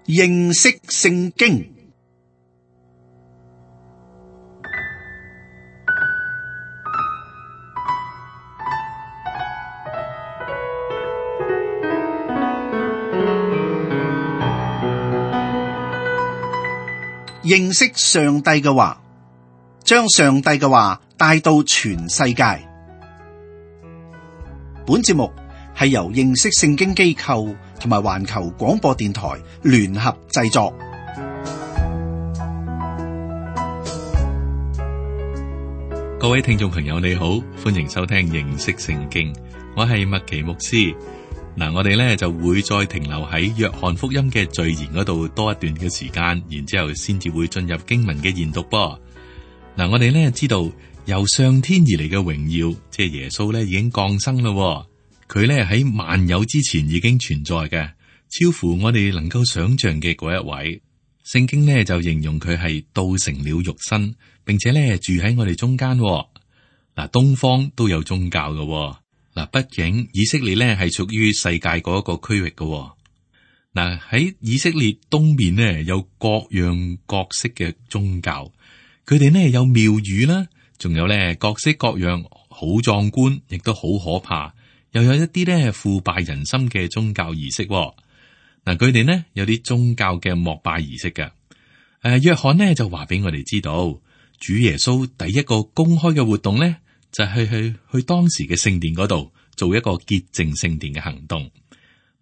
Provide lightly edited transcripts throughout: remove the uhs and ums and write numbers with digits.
認識聖經。認識上帝嘅話，將上帝嘅話帶到全世界。本節目係由認識聖經機構同埋環球廣播電台聯合製作。各位聽眾朋友你好，歡迎收聽認識聖經，我係麥奇牧師。我哋咧就會再停留喺約翰福音嘅序言嗰度多一段嘅時間，然之後先至會進入經文嘅研讀噃。我哋咧知道由上天而嚟嘅榮耀，即係耶穌咧已經降生咯。佢咧喺萬有之前已經存在嘅，超乎我哋能夠想象嘅嗰一位。聖經呢就形容佢係道成了肉身，並且咧住喺我哋中間。東方都有宗教嘅。畢竟以色列咧係屬於世界嗰一個區域嘅。喺以色列東面呢，有各樣各式嘅宗教，佢哋呢有廟宇啦，仲有咧各式各樣好壯觀，亦都好可怕，又有一啲咧腐敗人心嘅宗教儀式。佢哋呢有啲宗教嘅膜拜儀式嘅。約翰呢就話俾我哋知道，主耶穌第一個公開嘅活動呢，就係去當時嘅聖殿嗰度做一個潔淨聖殿嘅行動。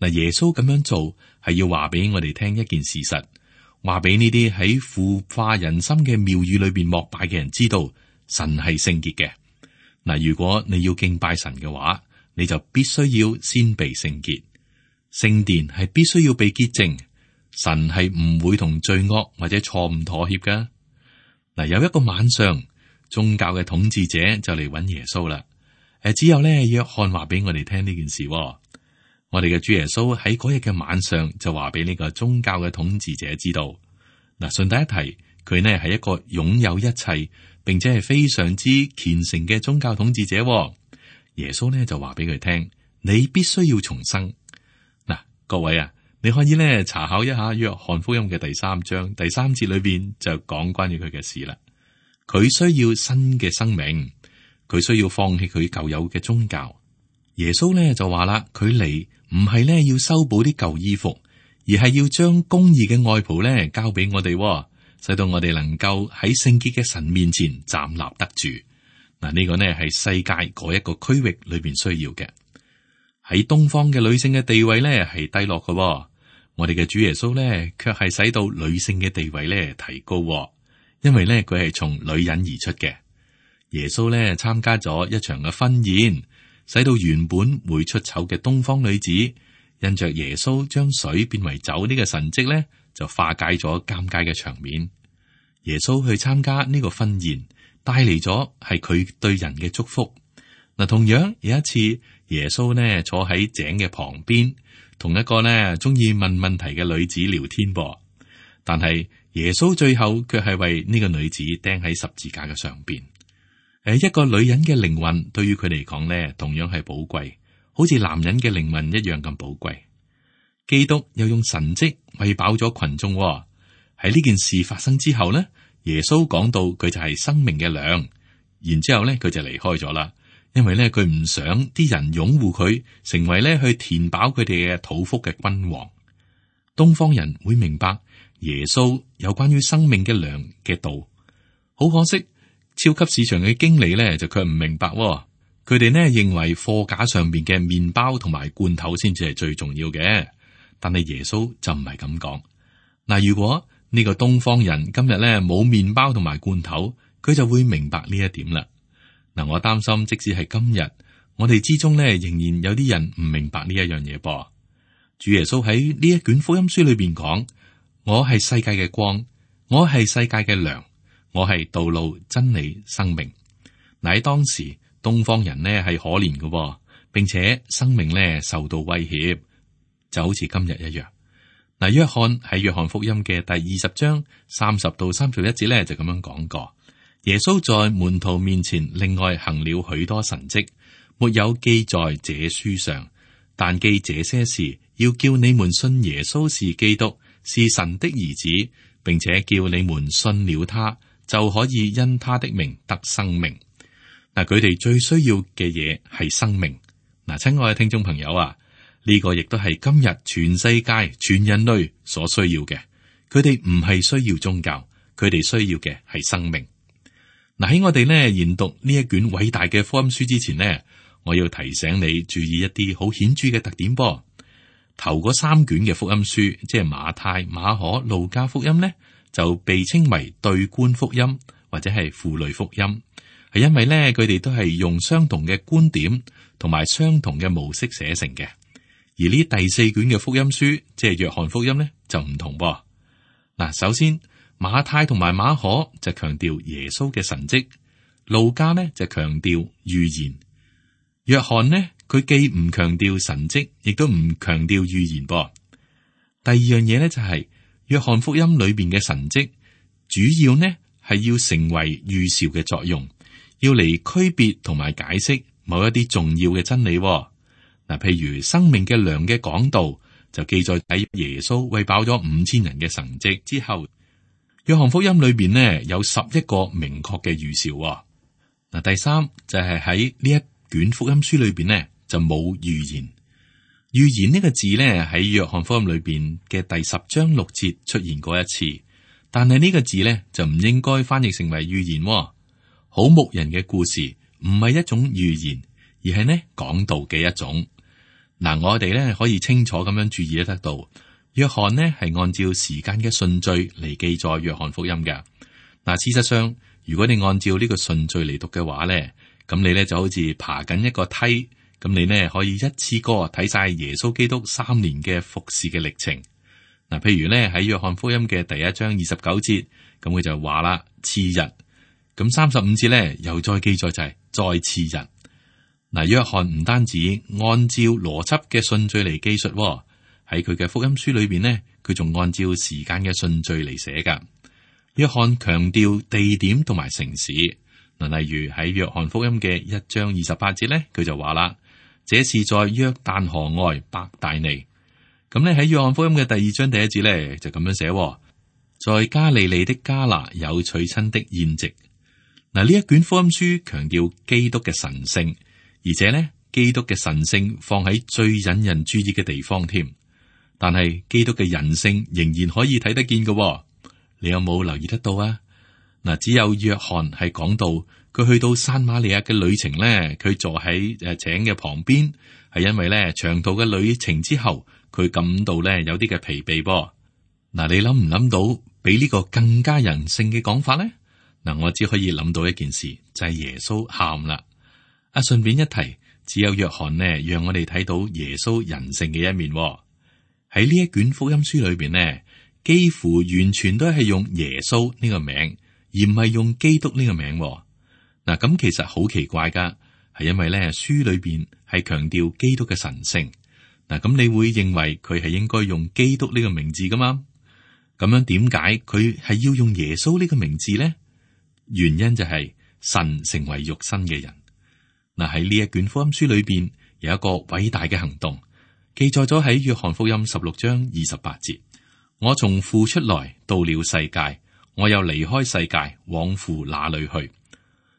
耶穌咁樣做係要話俾我哋聽一件事實，話俾呢啲喺腐化人心嘅廟宇裏邊膜拜嘅人知道，神係聖潔嘅。如果你要敬拜神嘅話，你就必須要先被聖潔，聖殿係必須要被潔淨，神係唔會同罪惡或者錯誤妥協噶。有一個晚上，宗教嘅統治者就嚟揾耶穌啦。只有咧約翰話俾我哋聽呢件事。我哋嘅主耶穌喺嗰日嘅晚上就話俾呢個宗教嘅統治者知道。順帶一提，佢呢係一個擁有一切，並且係非常之虔誠嘅宗教統治者。耶穌呢就話俾佢聽，你必須要重生。各位啊，你可以咧查考一下約翰福音嘅第3章第3節裏邊就講關於佢嘅事啦。佢需要新嘅生命，佢需要放棄佢舊有嘅宗教。耶穌咧就話啦，佢嚟唔係咧要修補啲舊衣服，而係要將公義嘅外袍咧交俾我哋，使到我哋能夠喺聖潔嘅神面前站立得住。呢個呢係世界嗰一個區域裏邊需要嘅。喺東方嘅女性嘅地位咧係低落嘅，我哋嘅主耶穌咧卻係使到女性嘅地位咧提高。因為咧佢係從女人而出嘅。耶穌咧參加咗一場嘅婚宴，使到原本會出醜嘅東方女子，因着耶穌將水變為酒呢個神蹟咧，就化解咗尷尬嘅場面。耶穌去參加呢個婚宴，帶嚟咗係佢對人嘅祝福。同樣有一次，耶穌呢坐喺井嘅旁邊，同一個呢中意問問題嘅女子聊天噃，但係耶穌最後卻係為呢個女子釘喺十字架嘅上邊。一個女人嘅靈魂對於佢嚟講呢，同樣係寶貴，好似男人嘅靈魂一樣咁寶貴。基督又用神蹟餵飽咗群眾。喺呢件事發生之後呢，耶穌講到佢就係生命嘅糧，然之後呢佢就離開咗啦。因為咧，佢唔想啲人擁護佢，成為咧去填飽佢哋嘅肚腹嘅君王。東方人會明白耶穌有關於生命嘅糧嘅道。好可惜，超級市場嘅經理咧就卻唔明白。佢哋呢認為貨架上邊嘅麵包同埋罐頭先至係最重要嘅，但係耶穌就唔係咁講。如果呢個東方人今日咧冇麵包同埋罐頭，佢就會明白呢一點啦。我擔心，即使係今日，我哋之中咧，仍然有啲人唔明白呢一樣嘢噃。主耶穌喺呢一卷福音書裏邊講：我係世界嘅光，我係世界嘅糧，我係道路、真理、生命。喺當時，東方人呢係可憐嘅，並且生命呢受到威脅，就好似今日一樣。約翰喺約翰福音嘅第20章30到31節咧，就咁樣講過。耶穌在門徒面前另外行了許多神蹟，沒有記在這書上，但記這些事，要叫你們信耶穌是基督，是神的兒子，並且叫你們信了他，就可以因他的名得生命。嗱，佢哋最需要嘅嘢係生命。嗱，親愛嘅聽眾朋友啊，呢個亦都係今日全世界全人類所需要嘅。佢哋唔係需要宗教，佢哋需要嘅係生命。嗱，喺我哋呢研讀呢一卷偉大嘅福音書之前呢，我要提醒你注意一啲好顯著嘅特點噃。頭嗰3卷嘅福音書，即係馬太、馬可、路加福音呢，就被稱為對觀福音或者係符類福音，係因為呢，佢哋都係用相同嘅觀點同埋相同嘅模式寫成嘅。而呢第4卷嘅福音書，即係約翰福音呢，就唔同噃。嗱，首先馬太同埋馬可就強調耶穌嘅神蹟，路加呢就強調預言，約翰呢，佢既唔強調神蹟，亦都唔強調預言噃。第二樣嘢呢，就係約翰福音裏邊嘅神蹟，主要呢係要成為預兆嘅作用，要嚟區別同埋解釋某一啲重要嘅真理。嗱，譬如生命嘅糧嘅講道就記載喺耶穌餵飽咗5000人嘅神蹟之後，約翰福音裏邊呢有11個明確嘅預兆。嗱，第三就係喺呢一卷福音書裏邊呢就冇預言。預言呢個字呢喺約翰福音裏邊嘅第10章6節出現過一次，但係呢個字呢就唔應該翻譯成為預言。好牧人嘅故事唔係一種預言，而係呢講道嘅一種。嗱，我哋呢可以清楚咁樣注意得到，約翰呢係按照時間嘅順序嚟記載約翰福音嘅。嗱，事實上，如果你按照呢個順序嚟讀嘅話呢，咁你呢就好似爬緊一個梯，咁你呢可以一次過睇晒耶穌基督3年嘅服侍嘅歷程。嗱，譬如呢喺約翰福音嘅第1章29節，咁佢就話啦，次日，咁35節呢又再記載就係再次日。嗱，約翰唔單止按照邏輯嘅順序嚟記述，喺佢嘅福音書裏邊呢，佢仲按照時間嘅順序嚟寫噶。約翰強調地點同埋城市。嗱，例如喺約翰福音嘅1章28節呢，佢就話啦，這是在約旦河外伯大尼。咁咧喺約翰福音嘅第2章第1節呢，就咁樣寫，在加利利的迦拿有娶親的宴席。嗱，呢一卷福音書強調基督嘅神聖。而且呢，基督嘅神性放喺最引人注意嘅地方添，但係基督嘅人性仍然可以睇得見嘅。你有冇留意得到啊？嗱，只有約翰係講到佢去到撒瑪利亞嘅旅程呢，佢坐喺井嘅旁邊，係因為呢長途嘅旅程之後，佢感到呢有啲嘅疲憊噃。嗱，你諗唔諗到比呢個更加人性嘅講法呢？嗱，我只可以諗到一件事，就係耶穌喊啦。順便一提，只有約翰呢，讓我哋睇到耶穌人性嘅一面。喺呢一卷福音書裏邊呢，幾乎完全都係用耶穌呢個名，而唔係用基督呢個名。嗱，咁其實好奇怪噶，係因為咧書裏邊係強調基督嘅神性。嗱，咁你會認為佢係應該用基督呢個名字噶嘛？咁樣點解佢係要用耶穌呢個名字呢？原因就係神成為肉身嘅人。嗱，喺呢一卷福音書裏邊有一個偉大嘅行動，記載咗喺約翰福音16章28節。我從父出來，到了世界，我又離開世界，往父那裏去。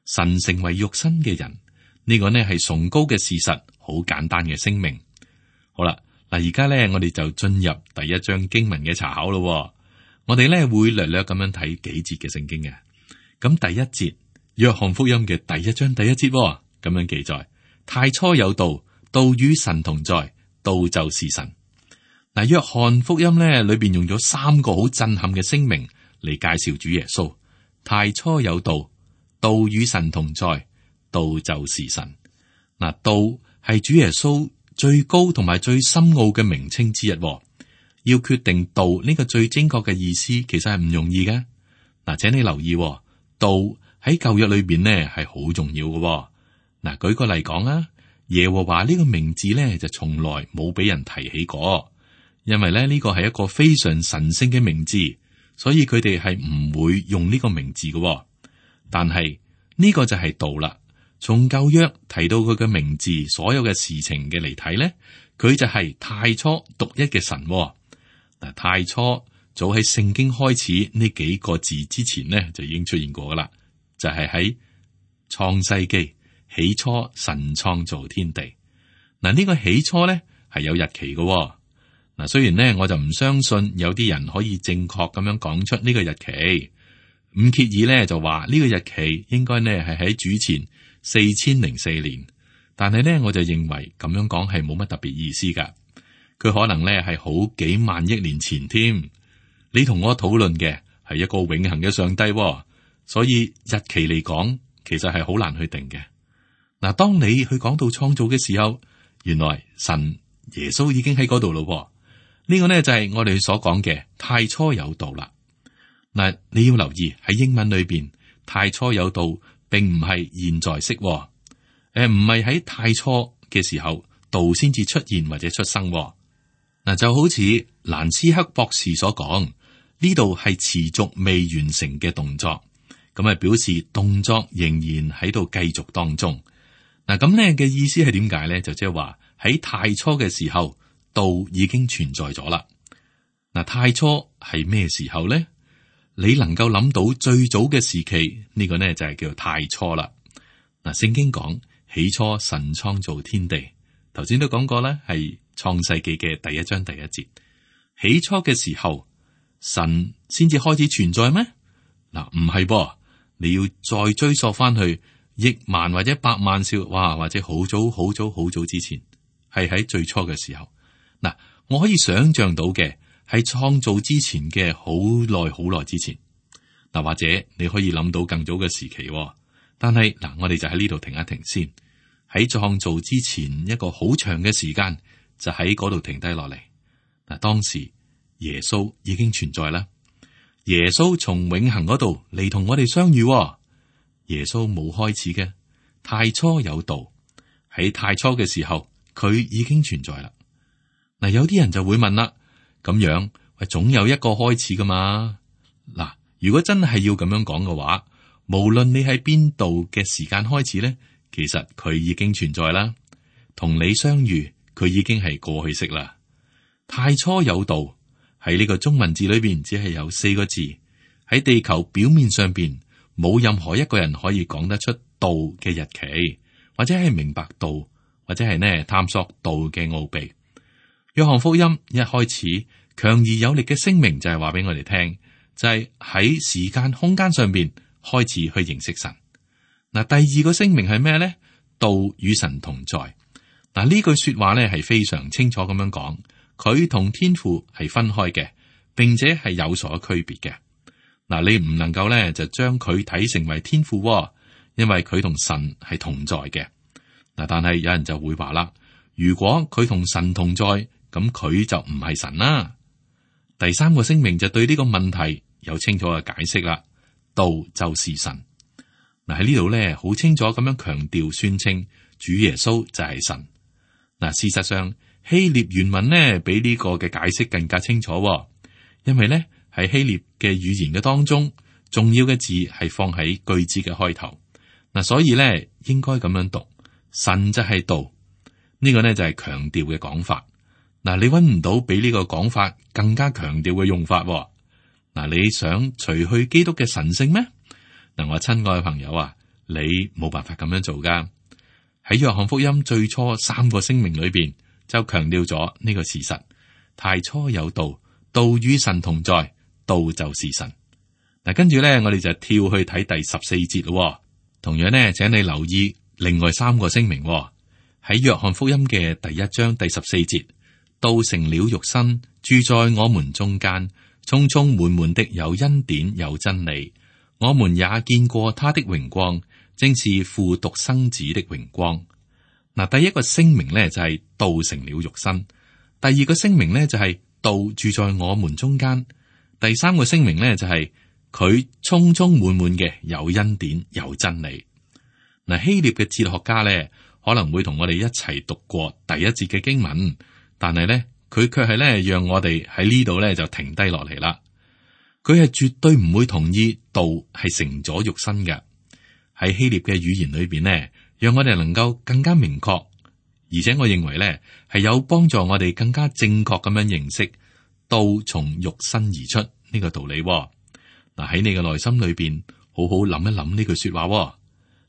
神成為肉身嘅人，呢個呢係崇高嘅事實，好簡單嘅聲明。好啦，嗱，而家呢，我哋就進入第1章經文嘅查考咯。我哋呢會略略咁樣睇幾節嘅聖經嘅。咁第1節，約翰福音嘅第1章第1節。咁樣記載，太初有道，道與神同在，道就是神。嗱，約翰福音咧裏邊用咗3個好震撼嘅聲明嚟介紹主耶穌。太初有道，道與神同在，道就是神。嗱，道係主耶穌最高同埋最深奧嘅名稱之一。要決定道呢個最精確嘅意思，其實係唔容易嘅。嗱，請你留意，道喺舊約裏邊呢係好重要嘅。嗱，舉個例講啊，耶和華呢個名字咧就從來冇俾人提起過，因為咧呢個係一個非常神聖嘅名字，所以佢哋係唔會用呢個名字嘅。但係呢個就係道啦。從舊約提到佢嘅名字，所有嘅事情嘅嚟睇咧，佢就係太初獨一嘅神。嗱，太初早喺聖經開始呢幾個字之前呢，就已經出現過噶啦，就係喺創世記起初神創造天地。嗱，呢個起初呢係有日期嘅。嗱，雖然呢我就唔相信有啲人可以正確咁樣講出呢個日期。伍歇爾呢就話呢個日期應該呢係喺主前4004年，但係呢我就認為咁樣講係冇乜特別意思噶。佢可能呢係好幾萬億年前添。你同我討論嘅係一個永恆嘅上帝，所以日期嚟講，其實係好難去定嘅。嗱，當你去講到創造嘅時候，原來神耶穌已經喺嗰度咯。呢個呢就係我哋所講嘅太初有道啦。嗱，你要留意喺英文裏邊，太初有道並唔係現在式，唔係喺太初嘅時候道先至出現或者出生。嗱，就好似蘭斯克博士所講，呢度係持續未完成嘅動作，咁啊表示動作仍然喺度繼續當中。嗱，咁呢嘅意思係點解咧？就即係話喺太初嘅時候，道已經存在咗啦。嗱，太初係咩時候咧？你能夠諗到最早嘅時期，呢個呢就係叫太初啦。嗱，聖經講起初神創造天地，頭先都講過啦，係創世記嘅第1章第1節。起初嘅時候，神先至開始存在咩？嗱，唔係噃，你要再追溯翻去億萬或者百萬少，哇，或者好早好早好早之前，係喺最初嘅時候。嗱，我可以想象到嘅。喺創造之前嘅好耐好耐之前，嗱，或者你可以諗到更早嘅時期，但係嗱，我哋就喺呢度停一停先。喺創造之前一個好長嘅時間，就喺嗰度停低落嚟。嗱，當時耶穌已經存在啦。耶穌從永恆嗰度嚟同我哋相遇。耶穌冇開始嘅，太初有道，喺太初嘅時候佢已經存在啦。嗱，有啲人就會問啦。咁樣，總有一個開始噶嘛？嗱，如果真係要咁樣講嘅話，無論你喺邊度嘅時間開始咧，其實佢已經存在啦。同你相遇，佢已經係過去式啦。太初有道，喺呢個中文字裏邊只係有4個字，喺地球表面上邊冇任何一個人可以講得出道嘅日期，或者係明白道，或者係呢探索道嘅奧秘。約翰福音一開始強而有力嘅聲明就係話俾我哋聽，就係喺時間空間上邊開始去認識神。嗱，第2個聲明係咩咧？道與神同在。嗱，呢句說話咧係非常清楚咁樣講，佢同天父係分開嘅，並且係有所區別嘅。嗱，你唔能夠咧就將佢睇成為天父，因為佢同神係同在嘅。嗱，但係有人就會話啦，如果佢同神同在，咁佢就唔係神啦。第3個聲明就對呢個問題有清楚嘅解釋啦。道就是神。嗱，喺呢度咧，好清楚咁樣強調宣稱主耶穌就係神。嗱，事實上希臘原文呢比呢個嘅解釋更加清楚，因為咧喺希臘嘅語言嘅當中，重要嘅字係放喺句子嘅開頭。嗱，所以咧應該咁樣讀，神就係道。呢個呢就係強調嘅講法。嗱，你搵唔到比呢個講法更加強調嘅用法。嗱，你想除去基督嘅神性咩？嗱，我親愛嘅朋友啊，你冇辦法咁樣做噶。喺約翰福音最初3個聲明裏邊就強調咗呢個事實：太初有道，道與神同在，道就是神。嗱，跟住咧，我哋就跳去睇第14節咯。同樣呢，請你留意另外3個聲明喺約翰福音嘅第1章第14節。道成了肉身，住在我們中間，充充滿滿的有恩典有真理。我們也見過他的榮光，正是父獨生子的榮光。嗱，第1個聲明呢就係道成了肉身，第2個聲明呢就係道住在我們中間，第3個聲明呢就係佢充充滿滿嘅有恩典有真理。嗱，希臘嘅哲學家呢可能會同我哋一齊讀過第1節嘅經文。但係咧，佢卻係咧，讓我哋喺呢度咧就停低落嚟啦。佢係絕對唔會同意道係成咗肉身嘅。喺希臘嘅語言裏邊呢，讓我哋能夠更加明確，而且我認為咧係有幫助我哋更加正確咁樣認識道從肉身而出呢個道理。嗱，喺你嘅內心裏邊，好好諗一諗呢句說話。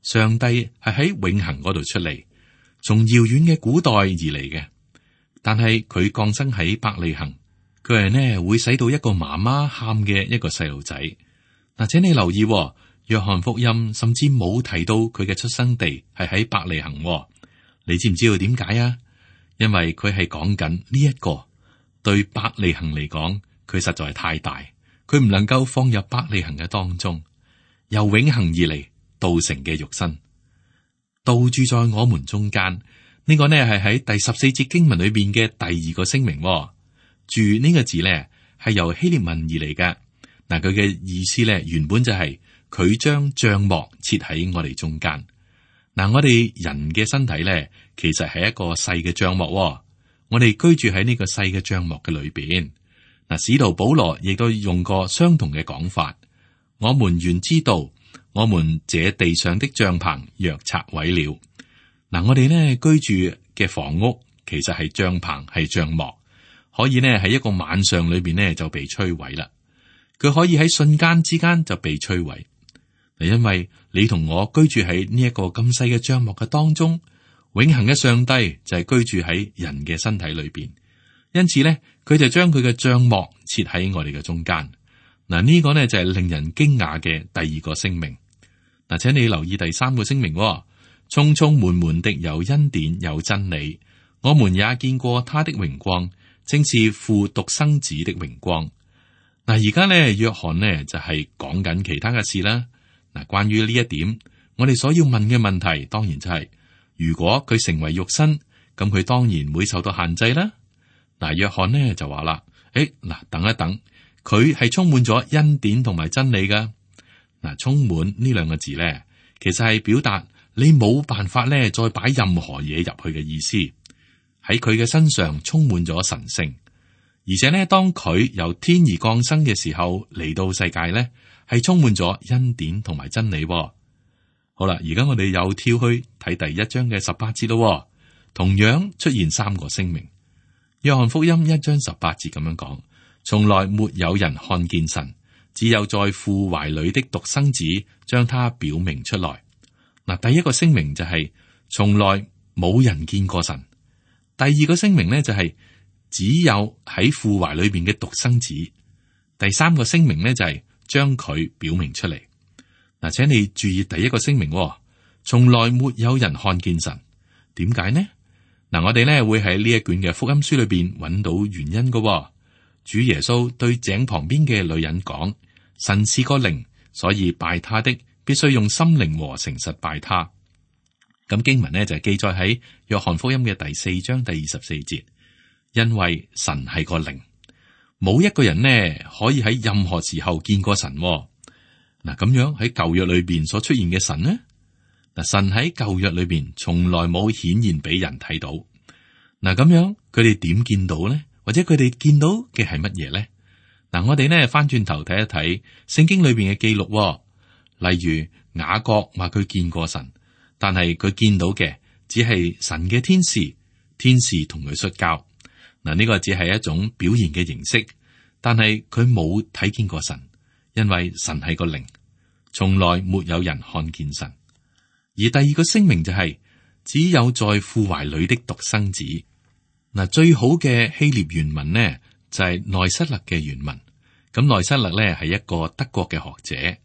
上帝係喺永恆嗰度出嚟，從遙遠嘅古代而嚟嘅，但係佢降生喺伯利恆，佢係呢會使到一個媽媽喊嘅一個細路仔。嗱，請你留意，約翰福音甚至冇提到佢嘅出生地係喺伯利恆。你知唔知道點解啊？因為佢係講緊呢一個對伯利恆嚟講，佢實在係太大，佢唔能夠放入伯利恆嘅當中。由永恆而嚟，道成嘅肉身，道住在我們中間。呢個呢係喺第14節經文裏邊嘅第二個聲明。住呢個字呢係由希臘文而嚟嘅。嗱，佢嘅意思呢原本就係佢將帳幕設喺我哋中間。嗱，我哋人嘅身體咧，其實係一個細嘅帳幕。我哋居住喺呢個細嘅帳幕嘅裏邊。嗱，使徒保羅亦都用過相同嘅講法。我們原知道，我們這地上的帳篷若拆毀了。嗱，我哋呢居住嘅房屋其實係帳篷，係帳幕，可以呢喺一個晚上裏邊呢就被摧毀啦。佢可以喺瞬間之間就被摧毀。因為你同我居住喺呢一個咁細嘅帳幕嘅當中，永恆嘅上帝就係居住喺人嘅身體裏邊，因此呢，佢就將佢嘅帳幕設喺我哋嘅中間。嗱，呢個呢就係令人驚訝嘅第二個聲明。嗱，請你留意第三個聲明，充充滿滿的有恩典有真理，我們也見過他的榮光，正是父獨生子的榮光。嗱，而家呢，約翰呢就係講緊其他嘅事啦。嗱，關於呢一點，我哋所要問嘅問題，當然就係，如果佢成為肉身，咁佢當然會受到限制啦。嗱，約翰呢就話啦，嗱，等一等，佢係充滿咗恩典同埋真理噶。嗱，充滿呢兩個字咧，其實係表達你冇辦法咧再擺任何嘢入去嘅意思。喺佢嘅身上充滿咗神聖，而且呢，當佢由天而降生嘅時候嚟到世界咧，係充滿咗恩典同埋真理。好啦，而家我哋又跳去睇第一章嘅18節咯。同樣出現三個聲明。約翰福音1章18節咁樣講：從來沒有人看見神，只有在父懷裏的獨生子將他表明出來。嗱，第一個聲明就係從來冇人見過神。第二個聲明呢，就係只有喺父懷裏邊嘅獨生子。第三個聲明呢，就係將佢表明出嚟。嗱，請你注意第一個聲明，從來沒有人看見神。點解呢？嗱，我哋呢會喺呢一卷嘅福音書裏邊揾到原因嘅。主耶穌對井旁邊嘅女人講：神是個靈，所以拜他的必須用心靈和誠實拜他。咁經文呢就記載喺約翰福音嘅第4章第24節，因為神係個靈。冇一個人呢可以喺任何時候見過神。嗱，咁樣喺舊約裏邊所出現嘅神呢？嗱，神喺舊約裏邊從來冇顯現俾人睇到。嗱，咁樣佢哋點見到呢？或者佢哋見到嘅係乜嘢呢？嗱，我哋呢翻轉頭睇一睇聖經裏邊嘅記錄。例如雅各話佢見過神，但係佢見到嘅只係神嘅天使，天使同佢摔跤。嗱，呢個只係一種表現嘅形式，但係佢冇睇見過神，因為神係個靈，從來沒有人看見神。而第二個聲明就係只有在父懷裏的獨生子。嗱，最好嘅希臘原文呢就係內塞勒嘅原文。咁內塞勒呢係一個德國嘅學者。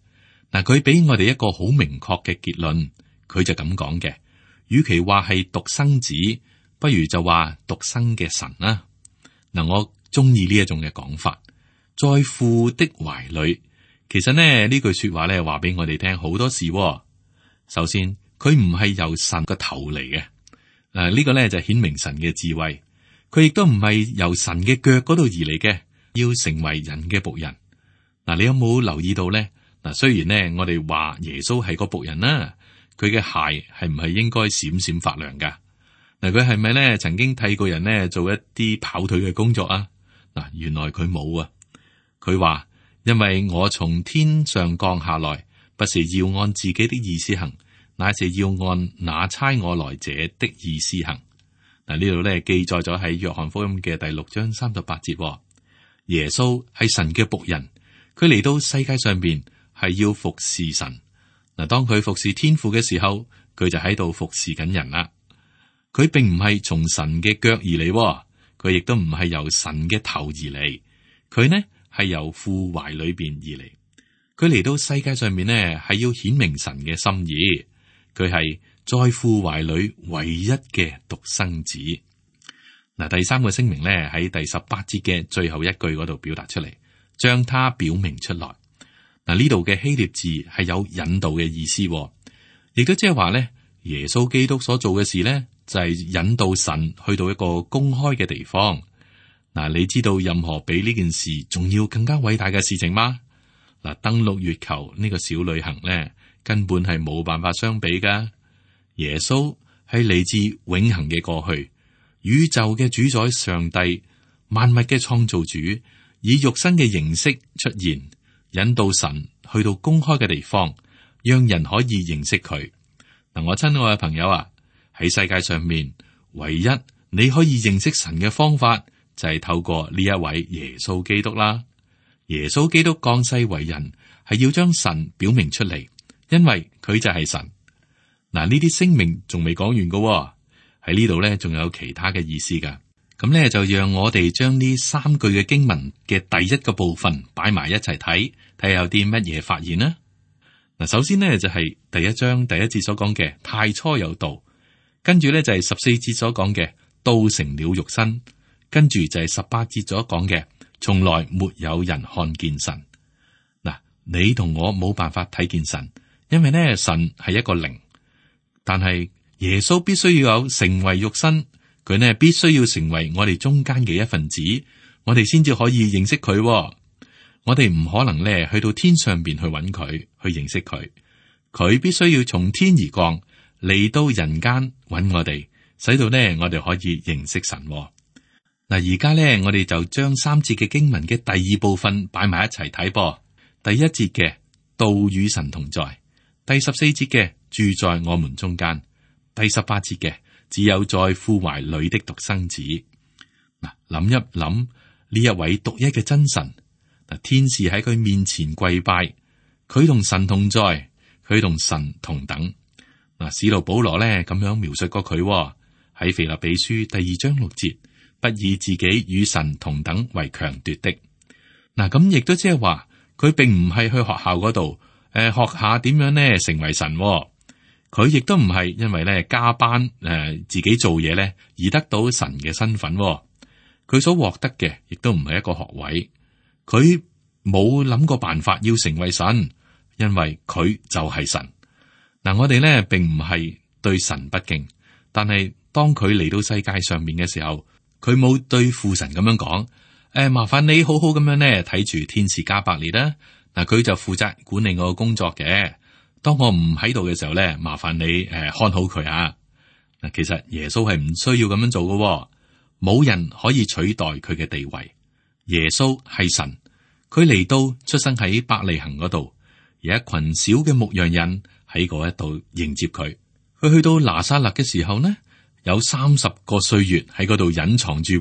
嗱，佢俾我哋一個好明確嘅結論，佢就咁講嘅：與其話係獨生子，不如就話獨生嘅神啦。嗱，我中意呢一種嘅講法，在父的懷裏。其實呢句說話咧話俾我哋聽好多事。首先，佢唔係由神個頭嚟嘅，呢個咧就顯明神嘅智慧。佢亦都唔係由神嘅腳嗰度而嚟嘅，要成為人嘅僕人。嗱，你有冇留意到咧？嗱，雖然咧我哋話耶穌係個僕人啦，佢嘅鞋係唔係應該閃閃發亮噶？嗱，佢係咪咧曾經替個人咧做一啲跑腿嘅工作啊？嗱，原來佢冇啊。佢話：因為我從天上降下來，不是要按自己的意思行，乃是要按那差我來者的意思行。嗱，呢度咧記載咗喺約翰福音嘅第6章38節。耶穌係神嘅僕人，佢嚟到世界上邊係要服侍神。嗱，當佢服侍天父嘅時候，佢就喺度服侍緊人啦。佢並唔係從神嘅腳而嚟，佢亦都唔係由神嘅頭而嚟，佢呢係由父懷裏邊而嚟。佢嚟到世界上面呢，係要顯明神嘅心意。佢係在父懷裏唯一嘅獨生子。嗱，第三個聲明呢，喺第18節嘅最後一句嗰度表達出嚟，將他表明出來。嗱，呢度嘅希臘字係有引導嘅意思，亦都即係話咧，耶穌基督所做嘅事咧，就係引導神去到一個公開嘅地方。嗱，你知道任何比呢件事仲要更加偉大嘅事情嗎？嗱，登陸月球呢個小旅行咧，根本係冇辦法相比噶。耶穌係嚟自永恆嘅過去，宇宙嘅主宰上帝，萬物嘅創造主，以肉身嘅形式出現，引導神去到公開嘅地方，讓人可以認識佢。嗱，我親愛嘅朋友啊，喺世界上面，唯一你可以認識神嘅方法，就係透過呢一位耶穌基督啦。耶穌基督降世為人，係要將神表明出嚟，因為佢就係神。嗱，呢啲聲明仲未講完噶，喺呢度咧仲有其他嘅意思噶。咁咧就讓我哋將呢3句嘅經文嘅第一個部分擺埋一齊睇，睇下有啲乜嘢發現啦。嗱，首先呢，就係第1章第1節所講嘅太初有道，跟住咧就係14節所講嘅道成了肉身，跟住就係18節所講嘅從來沒有人看見神。嗱，你同我冇辦法睇見神，因為呢神係一個靈，但係耶穌必須要有成為肉身，佢呢必須要成為我哋中間嘅一份子，我哋先至可以認識佢。我哋唔可能咧去到天上邊去揾佢，去認識佢。佢必須要從天而降嚟到人間揾我哋，使到呢我哋可以認識神。嗱，而家呢，我哋就將3節嘅經文嘅第2部分擺埋一齊睇噃。第1節嘅道與神同在，第14節嘅住在我們中間，第18節嘅只有在父懷裏的獨生子。嗱，諗一諗呢一位獨一嘅真神。嗱，天使喺佢面前跪拜，佢同神同在，佢同神同等。嗱，使徒保羅咧咁樣描述過佢喺腓立比書第2章6節，不以自己與神同等為強奪的。嗱，咁亦都即係話，佢並唔係去學校嗰度學下點樣咧成為神。佢亦都唔係因為咧加班自己做嘢咧而得到神嘅身份。佢所獲得嘅亦都唔係一個學位。佢冇諗過辦法要成為神，因為佢就係神。嗱，我哋咧並唔係對神不敬，但係當佢嚟到世界上面嘅時候，佢冇對父神咁樣講：麻煩你好好咁樣咧睇住天使加百列啦。嗱，佢就負責管理我嘅工作嘅。當我唔喺度嘅時候咧，麻煩你看好佢啊。嗱，其實耶穌係唔需要咁樣做嘅，冇人可以取代佢嘅地位。耶穌係神，佢嚟到出生喺伯利恆嗰度，有一群小嘅牧羊人喺嗰一度迎接佢。佢去到拿撒勒嘅時候呢，有30個歲月喺嗰度隱藏住。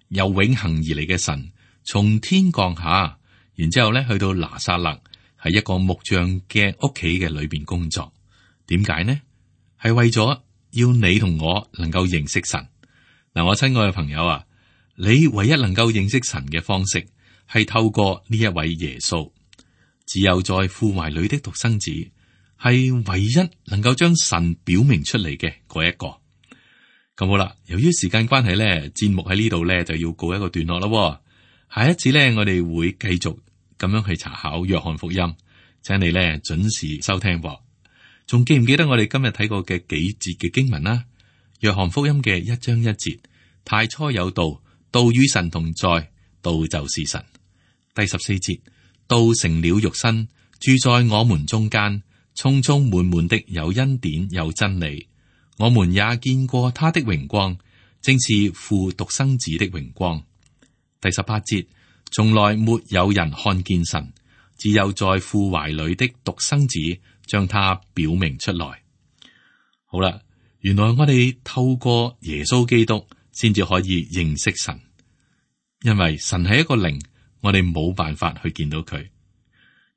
由永恆而嚟嘅神從天降下，然之後咧去到拿撒勒，喺一個木匠嘅屋企嘅裏邊工作。點解呢？係為咗要你同我能夠認識神。嗱，我親愛嘅朋友啊，你唯一能夠認識神嘅方式係透過呢一位耶穌，只有在父懷裏的獨生子係唯一能夠將神表明出嚟嘅嗰一個。咁好啦，由於時間關係咧，節目喺呢度咧就要告一個段落啦。下一次咧，我哋會繼續咁樣去查考約翰福音，請你咧準時收聽噃。仲記唔記得我哋今日睇過嘅幾節嘅經文啦？約翰福音嘅1章1節，太初有道，道與神同在，道就是神。第14節，道成了肉身，住在我們中間，充充滿滿的有恩典有真理。我們也見過他的榮光，正是父獨生子的榮光。第18節，從來沒有人看見神，只有在父懷裏的獨生子將他表明出來。好啦，原來我哋透過耶穌基督先至可以認識神。因為神係一個靈，我哋冇辦法去見到佢。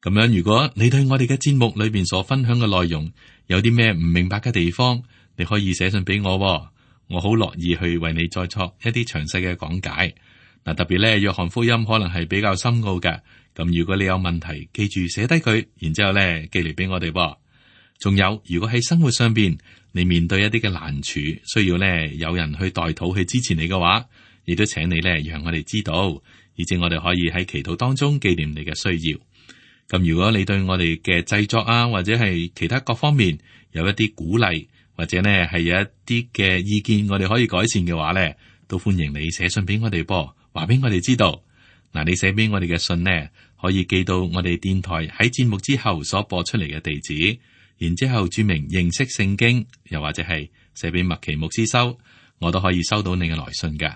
咁樣，如果你對我哋嘅節目裏邊所分享嘅內容有啲咩唔明白嘅地方，你可以寫信俾我，我好樂意去為你再作一啲詳細嘅講解。嗱，特別咧，約翰福音可能係比較深奧嘅，咁如果你有問題，記住寫低佢，然之後咧寄嚟俾我哋噃。仲有，如果喺生活上邊你面對一啲嘅難處，需要咧有人去代禱去支持你嘅話，亦都請你咧讓我哋知道，以至我哋可以喺祈禱當中紀念你嘅需要。咁如果你對我哋嘅製作啊，或者係其他各方面有一啲鼓勵，或者呢係有一啲嘅意見，我哋可以改善嘅話呢，都歡迎你寫信俾我哋噃，話俾我哋知道。嗱，你寫俾我哋嘅信呢，可以寄到我哋電台喺節目之後所播出嚟嘅地址，然之後注明認識聖經，又或者係寫俾麥奇牧師收，我都可以收到你嘅來信㗎。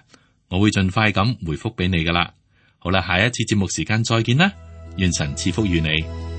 我會盡快咁回覆俾你噶啦。好啦，下一次節目時間再見啦。願神賜福於你。